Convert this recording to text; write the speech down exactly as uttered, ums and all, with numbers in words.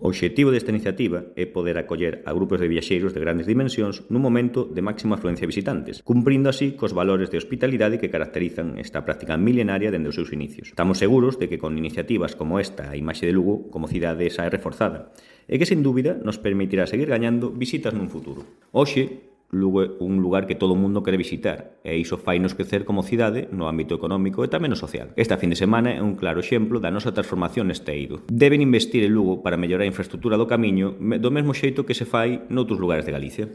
O obxectivo desta iniciativa é poder acoller a grupos de viaxeiros de grandes dimensións nun momento de máxima afluencia de visitantes, cumprindo así cos valores de hospitalidade que caracterizan esta práctica milenaria dende os seus inicios. Estamos seguros de que con iniciativas como esta a imaxe de Lugo como cidade xa é reforzada e que, sen dúbida, nos permitirá seguir gañando visitas nun futuro. Hoxe, Lugo é un lugar que todo o mundo quere visitar e iso fainos crecer como cidade no ámbito económico e tamén no social. Esta fin de semana é un claro exemplo da nosa transformación neste eido. Deben investir en Lugo para mellorar a infraestructura do camiño do mesmo xeito que se fai noutros lugares de Galicia.